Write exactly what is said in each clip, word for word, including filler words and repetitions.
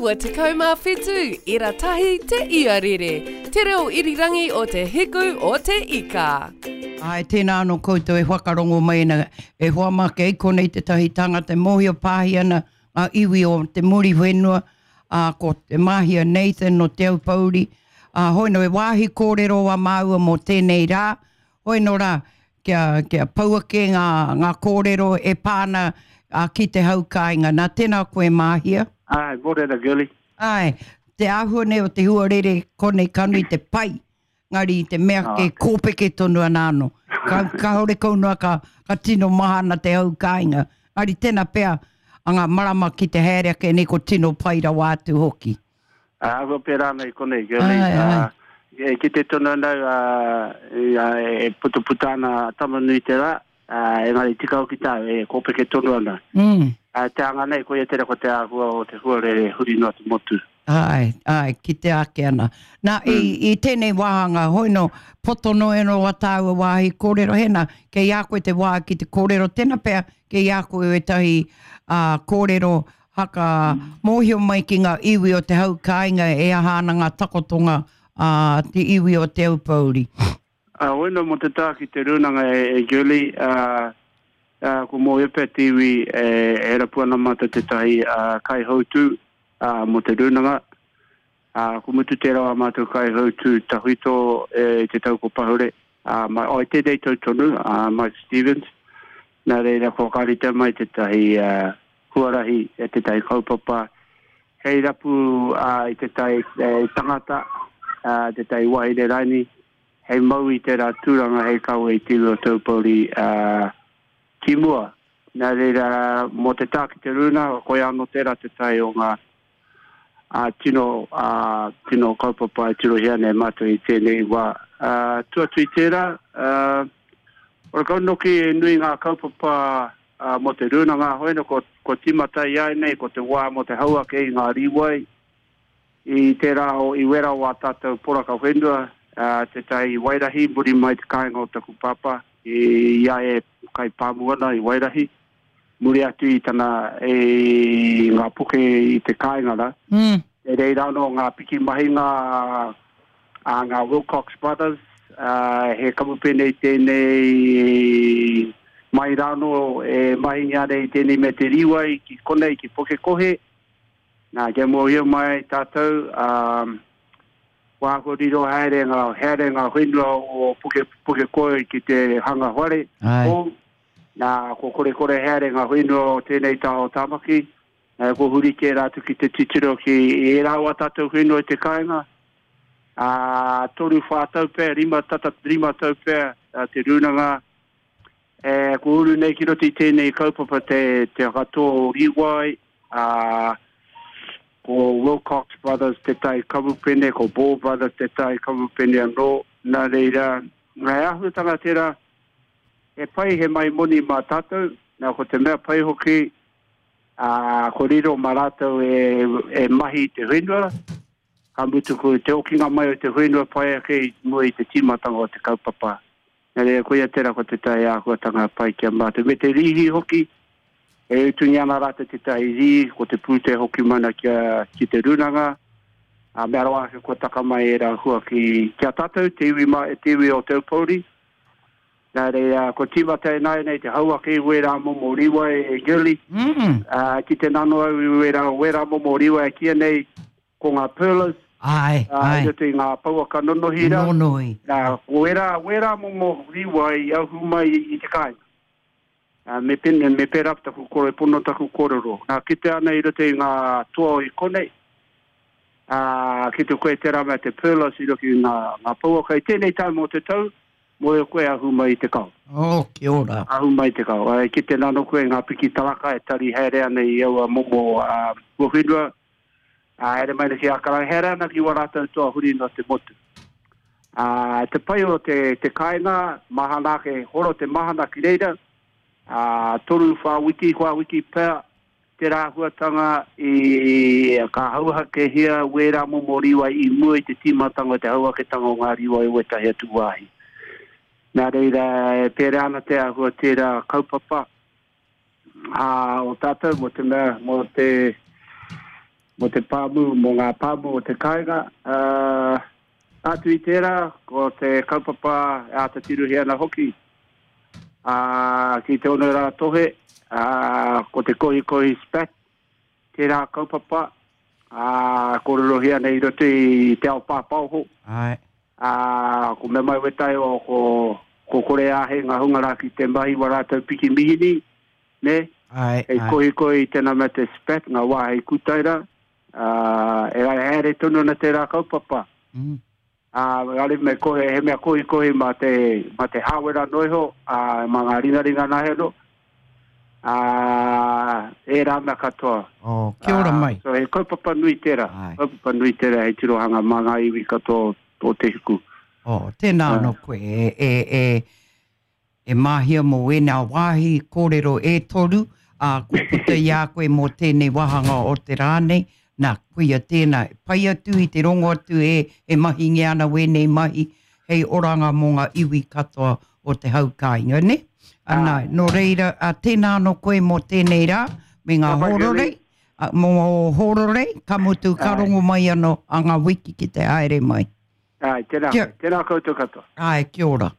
iwa tekau mā whitu, ira tahi te iarere, te reo irirangi o te hiku o te ika. Āe, tēnā anō koutou e whakarongo mai ana, e hoa mā kei konei tētahi tangata e mōhio pāhi ana ngā iwi o te Muriwhenua, ā, ko Te Māhia Nathan o Te Aupōuri, ā, hoi nō e wāhi kōrero a māua mō tēnei rā, hoi nō rā, kia, kia pau ake ngā, ngā kōrero e pā ana ā, ki te hau kāinga. Nā, tēnā koe Māhia. Āe, mōrena girlie. Āe, te āhua nei o te huarere konei ka nui te pai, ngari i te mea ke kōpeke tonu ana anō. Ka, kāore kau noa ka, ka tino mahana te hau kāinga. Ngari tēnā pea a ngā marama ki te haere ake nei ko tino pai rawa atu hoki. Āhua pērā ana i konei, girlie. Āe, āe. Ā, e kite tonu ana au, ā, e putaputa ana a Tama-nui-te-rā, ā, engari tika hoki tāu, e kōpeke tonu ana. Mm. Ā, te anga nei, koia tērā ko te āhua o te huarere huri noa te motu. Āe, āe, kitea ake ana. Nā, mm. i, i tēnei wāhanga, hoi no, poto noa eno a tāua wāhi kōrero, hena, kei a koe te wā ki te kōrero, tēnā pea, kei a koe wētahi ā, kōrero haka mōhio mai ki ngā iwi o te hau kāinga e aha ana ngā takotonga a te iwi o Te Aupōuri. Ā, hoi no mō te taha ki te rūnanga e, e Julie, ā, ā, ko mōhio pea te iwi e, e rapu ana mātou tētahi ā, kaihautū ā, mō te rūnanga. Ā, ko mutu tērā o ā mātou kaihautū tawhito e, i te tau ko pahure, ā, mai, oh, i tēnei tau tonu, ā, Mike Stevens. Nā reira, kua whakaritea mai tētahi ā, huarahi, e tētahi kaupapa hei rapu ā, i tētahi e, tangata, ā, tētahi wahine raini, hei mau i tērā tūranga hei kawe i te iwi o Taupōuri ā, ki mua. Nā reira, mō te tā ki te rūnanga, koia anō tērā te tae o ngā ā, tino, ā, tino kaupapa e tirohia nei mātou i tēnei wā. Ā, tua atu i tērā, ā, horekau noki e nui ngā kaupapa ā, mō te rūnanga, hoi nō, ko, ko tīmata i ai nei, ko te wā mō te hau ake i ngā rīwai, I tērā o, i wera o ā tātou poraka whenua, ā, tētahi i Wairahi, muri mai te kāinga o taku pāpā, i a ia e kai pāmu ana i Wairahi, muri atu i tana, i ngā puke i te kāinga rā. Mm. E reira anō ngā piki mahinga a ngā Wilcox Brothers, ā, he kamupene tēnei mai rānō e mahingia ana i tēnei mea te rīwai ki konei, ki Pukekohe. Nā, kia mōhio mai ai tātou, ā, kua āhua riro haere ngā, haere ngā whenua o Puke, Pukekohe ki te hanga whare hou. Nā, kua korekore haere ngā whenua o tēnei taha o Tāmaki. Nā, kua huri kē rātou ki te titiro ki ērā o ā tātou whenua i te kāinga. Ā, toru, whā tau pea, rima, tata rima tau pea te rūnanga. E, kua uru nei ki roto i tēnei kaupapa te, te whakatō rīwai, ā, ko Wilcox Brothers tētahi kamupene, ko Ball Brothers tētahi kamupene anō. Nā reira, he āhuatanga tērā, he pai he mai moni mā tātou, nā ko te mea pai hoki, ā, ko riro mā rātou e, e mahi i te whenua, ka mutu ko te okinga mai o te whenua pai ake i mua i te tīmatanga o te kaupapa. Nā reira, koia tērā ko tētahi āhuatanga pai ki a mātou. Me te rīhi hoki, e utungia ana rātou tētahi rīhi, ko te pūtea hoki mana kia, ki te rūnanga, ā, mea rawa ake kua taka mai ērā hua ki, ki a tātou, te iwi, ma, te iwi o Te Aupōuri. Nā reira, kua tīmata ināianei te hau ake i wērā momo rīwai e Girlie, mm. ā, ki te nano au i wērā, wērā momo rīwai e kīia nei, ko ngā pearlers, Āe, ā, āe. i roto i ngā pouaka nonohi rā. Nonohi. Nā, ko ērā, wērā momo rīwai i ahu mai i te kāinga. Ā, me pēnei, me pērā taku kore, pono taku kōrero. Nā, kitea ana i roto i ngā toa i konei, ā, kite koe tērā mea te pearlers i roto i ngā, ngā pouaka. I tēnei taima o te tau, mōhio koe ahu mai i te kao. Oh, kia ora. Ahu mai i te kao. Ā, e kite nānō koe ngā piki taraka e tari haere ana i aua momo, ā, huawhenua, Ā, haere mai ana ki Ākarana, haere ana ki wā rātou toa huri noa te motu. Ā, te pai o te, te kāinga, mahana ake, horo te mahana ki reira, ā, toru, whā wiki, whā wiki pea, tērā āhuatanga i, ka hauhakehia wērā momo rīwai i mua i te tīmatanga o te hauhaketanga o ngā rīwai o ētahi atu wāhi. Nā reira, e pērā ana te āhua tērā kaupapa, ā, o tātou mō te mea, mō te, Mō te pāmu, mō ngā pāmu o te kāinga. Uh, atu i tērā, ko te kaupapa e āta tirohia ana hoki. Uh, ki te ono rā tohe, uh, ko te kohikohi spat, tērā kaupapa, uh, kōrerohia nei i roto i te ao pāpaoho. Ai. Uh, ko me mai wetai o ko, ko kore āhei ngā hunga rā ki te mahi wa rātou piki mihini, ne? Ai, Hei ai. kohikohi i tēnā mea te spat, ngā wā hei kutaira, uh, e rai haere tonu ana tērā kaupapa. Mm. Uh, are me kohe, he mea kohikohi mā te, mā te hāwera noiho, uh, mā ngā ringaringa nahe no. Uh, e rā mea katoa. Oh, kia ora Ah, mai. So he kaupapa nui tērā. Ai. Kaupapa nui tērā hei tirohanga mā ngā iwi katoa o te hiku. Oh, tēnā Ai. anō koe e, e, e, e māhia mō wēnā wāhi kōrero e toru, a ko puta i a koe mō tēnei wāhanga o te rā nei, nā, koia tēnā, pai atu i te rongo atu e, e mahinge ana wēnei mahi, hei oranga mō ngā iwi katoa o te hau kāinga, ne? Ana, nō reira, a, tēnā anō koe mō tēnei rā, me ngā Ka pai, hōrorei, Shirley. a, mō hōrorei, ka mutu ka Ai. rongo mai anō a ngā wiki ki te haere mai. Ai, tēnā, Kia- tēnā koutou katoa. Ai, kia ora.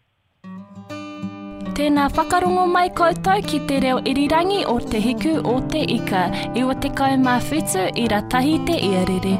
Tēnā whakarongo mai koutou ki te reo irirangi o Te Hiku o Te Ika, iwa tekau mā whitu ira tahi te iarere.